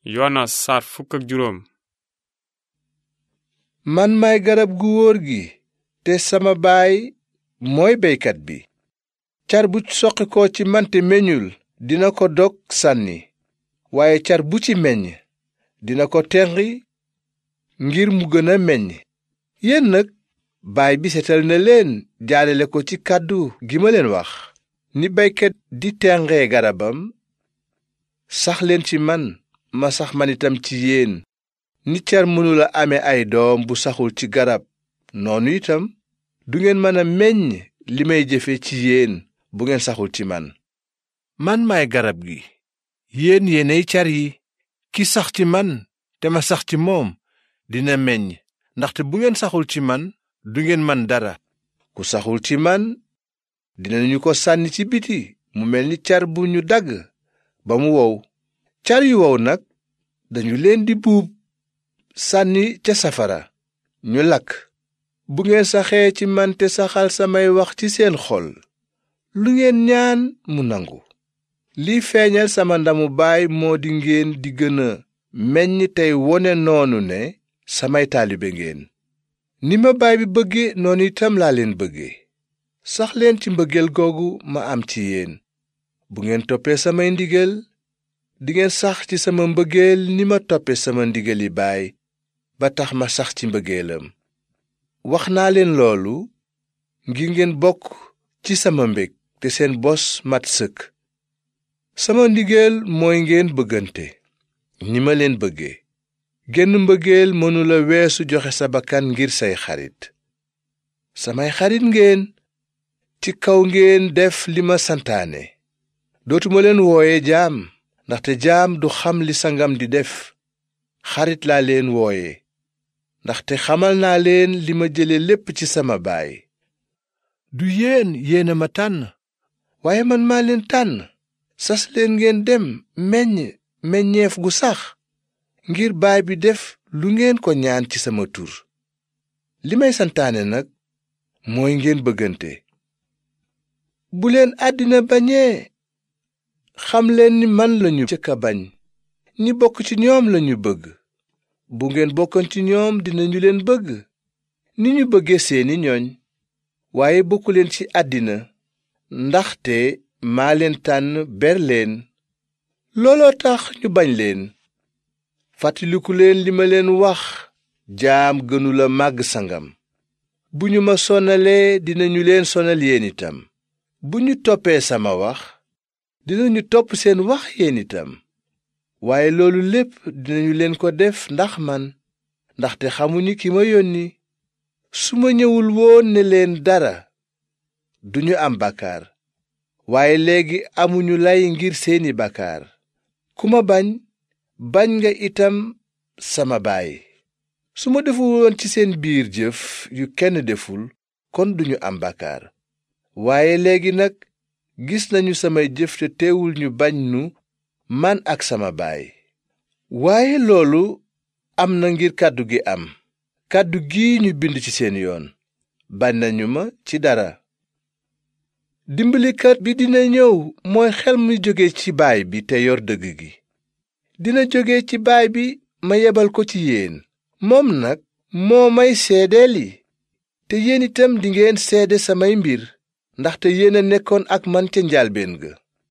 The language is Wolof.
Yoona saar fukk ak juróom. man maay garab gu wóor gi te sama baay mooy beykat bi. car bu soqi ko ci man te meññul dina ko dog sànni, waaye car bu ci meññ dina ko tenqi ngir mu gën a meññ. yéen nag baay bi setal na leen jaarale ko ci kàddu gi ma leen wax. ni beykat di tenqee garabam, sax leen ci man ma sax man itam ci yéen. ni car mënula ame ay doom bu saxul ci garab, noonu itam du ngeen mën a meññ li may jëfe ci yéen bu ngeen saxul ci man. man maay garab gi, yéen yéenay car yi. ki sax ci man te ma sax ci moom dina meññ, ndaxte bu ngeen saxul ci man du ngeen man dara. ku saxul ci man dinañu ko sànni ci biti mu mel ni car bu ñu dagg ba mu wow. car yu wow nag dañu leen di buub sànni ca safara ñu lakk. bu ngeen saxee ci man te saxal samay wax ci seen xol, lu ngeen ñaan mu nangu. liy feeñal sama ndamu baay moo di ngeen di gën a meññ tey wone noonu ne samay taalibe ngeen. ni ma baay bi bëgge noonu itam laa leen bëgge. sax leen ci mbëggeel googu ma am ci yéen. bu ngeen toppee samay ndigal dingeen sax ci sama mbëggeel ni ma toppe sama ndigali baay ba tax ma sax ci mbëggeelam. wax naa leen loolu ngir ngeen bokk ci sama mbég te seen bos mat sëkk. sama ndigal mooy ngeen bëggante ni ma leen bëggee. genn mbëggeel mënula weesu joxe sa bakkan ngir say xarit. samay xarit ngeen ci kaw ngeen def li ma santaane. dootuma leen wooye jaam, ndaxte jaam du xam li sangam di def. xarit laa leen wooye, ndaxte xamal naa leen li ma jële lépp ci sama baay. du yéen yéena ma tànn, waaye man maa leen tànn. sas leen ngeen dem meññ meññeef gu sax, ngir baay bi def lu ngeen ko ñaan ci sama tur. li may santaane nag mooy ngeen bëggante. bu leen àddina bañee, xam leen ni man lañu jëkk a bañ. ñi bokk ci ñoom lañu bëgg. bu ngeen bokkoon ci ñoom dinañu leen bëgg ni ñu bëggee seeni ñooñ. waaye bokkuleen ci àddina, ndaxte maa leen tànn ber leen. looloo tax ñu bañ leen. fàttaliku leen li ma leen wax, jaam gënula màgg sangam. bu ñu ma sonalee dinañu leen sonal yéen itam. bu ñu toppee sama wax dinañu topp seen wax yéen itam. waaye loolu lépp dinañu leen ko def ndax man, ndaxte xamuñu ki ma yónni. su ma ñëwul woon ne leen dara, duñu am bàkkaar. waaye léegi amuñu lay ngir seeni bàkkaar. ku ma bañ, bañ nga itam sama baay. su ma deful woon ci seen biir jëf yu kenn deful, kon duñu am bàkkaar. waaye léegi nag gis nañu samay jëf te teewul ñu bañ nu man ak sama baay. waaye loolu am na ngir kàddu gi am. kàddu gi ñu bind ci seen yoon. bañ nañu ma ci dara. dimbalikat bi dina ñëw, mooy xel mi jóge ci baay bi te yor dëgg gi. dina jóge ci baay bi ma yebal ko ci yéen. moom nag moo may seedeeli. te yéen itam dingeen seede samay mbir, ndaxte yéen a nekkoon ak man ca njaalbéen ga.